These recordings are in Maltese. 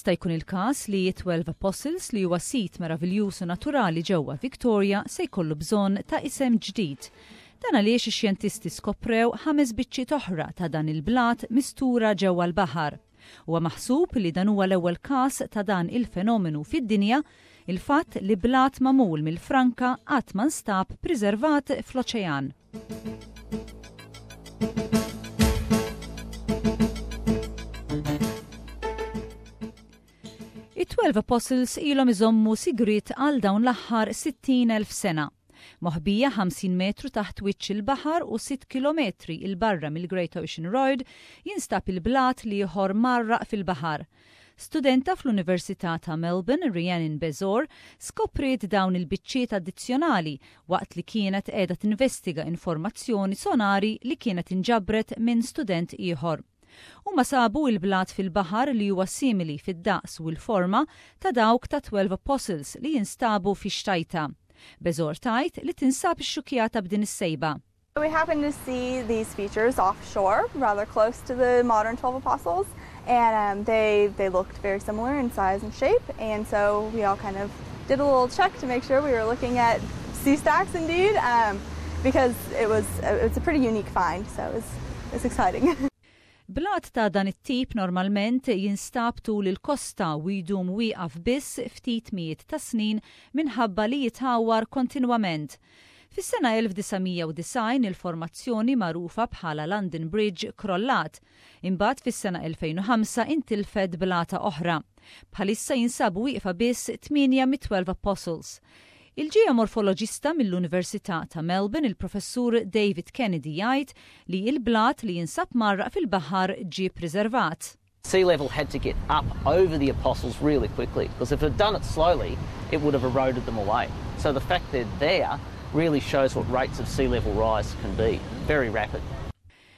Jista' jkun il-każ li t-Twelve Apostles li huwa sit meraviljuż u naturali ġewwa Victoria se jkollu bżonn ta' isem ġdid. Dan għaliex ix-xjentisti skoprew ħames biċċiet oħra ta' dan il-blat mistura ġewwa l-baħar. Huwa maħsub li dan huwa l-ewwel każ ta' dan il-fenomenu fid-dinja, il-fatt li blat magħmul mill-franka qatt ma nstab priservat fl-oċean. It-Twelve Apostles ilhom iżommu sigriet għal dawn l-aħħar 60,000 sena. Moħbija 50 metru taħt wiċċ il-baħar u 6 kilometri 'il barra mill-Great Ocean Road jinstab il-blat l-ieħor mgħarraq fil-baħar. Studenta fl-Università ta' Melbourne, Rhiannon Bezor, skopriet dawn il-biċċiet addizzjonali waqt li kienet qiegħda tinvestiga informazzjoni sonari li kienet inġabret minn student ieħor. Huma sabu il-blat fil-baħar li huwa simili fid-daqs u l-forma ta' dawk tat-Twelve Apostles li jinstabu fix-xtajta. Bezor tgħid li tinsab ixxukkjata b'din is-sejba. We happened to see these features offshore, rather close to the modern 12 Apostles, and um, they, they looked very similar in size and shape, and so we all kind of did a little check to make sure we were looking at sea stacks indeed, um, because it was it's a pretty unique find, so it was, it was exciting. Blat ta' dan it-tip normalment jinstab tul il-kosta u jdum wieqaf biss ftit mijiet ta' snin minħabba li jitgħawwar kontinwament. Fis-sena 1990 il-formazzjoni magħrufa bħala London Bridge krollat. Imbagħad fis-sena 2005 intilfet blata oħra. Bħalissa jinsabu wieqfa biss tmienja mit-Twelve Apostles. Il-ġeomorfoloġista mill-Università ta' Melbourne il-Professur David Kennedy jgħid li l-blat li jinsab mgħarraq fil-baħar ġie ppriservat. Sea level had to get up over the apostles really quickly because if it had done it slowly it would have eroded them away. So the fact they're there really shows what rates of sea level rise can be, very rapid.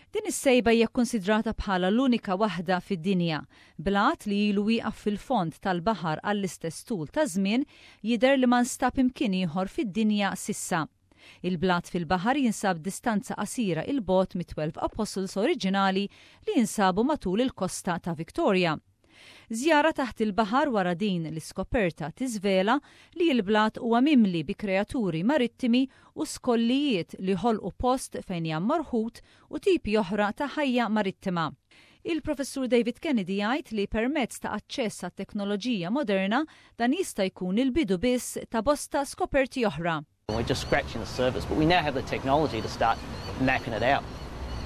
Din is-sejba hija kkunsidrata bħala l-unika waħda fid-dinja. Blat li ilu wieqaf fil-fond tal-baħar għall-istess tul ta' żmien jidher li ma nstab imkien ieħor fid-dinja s'issa. Il-blat fil-baħar jinsab distanza qasira 'il bogħod mit-Twelve Apostles oriġinali li jinsabu matul il-kosta ta' Victoria. Żjara taħt il-baħar wara din l-iskoperta tiżvela li l-blat huwa mimli bi kreaturi marittimi u skollijiet li ħolqu post fejn jgħammar ħut u tipi oħra ta' ħajja marittima. Il-Professur David Kennedy jgħid li permezz ta' aċċess għat-teknoloġija moderna dan jista' jkun il-bidu biss ta' bosta skoperti oħra. We're just scratching the surface, but we now have the technology to start mapping it out.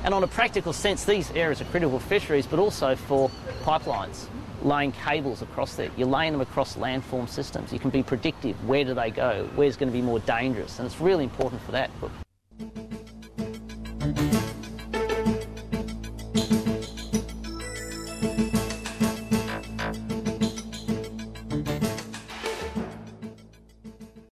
And on a practical sense, these areas are critical for fisheries, but also for pipelines, laying cables across there. You're laying them across landform systems. You can be predictive. Where do they go? Where's going to be more dangerous? And it's really important for that.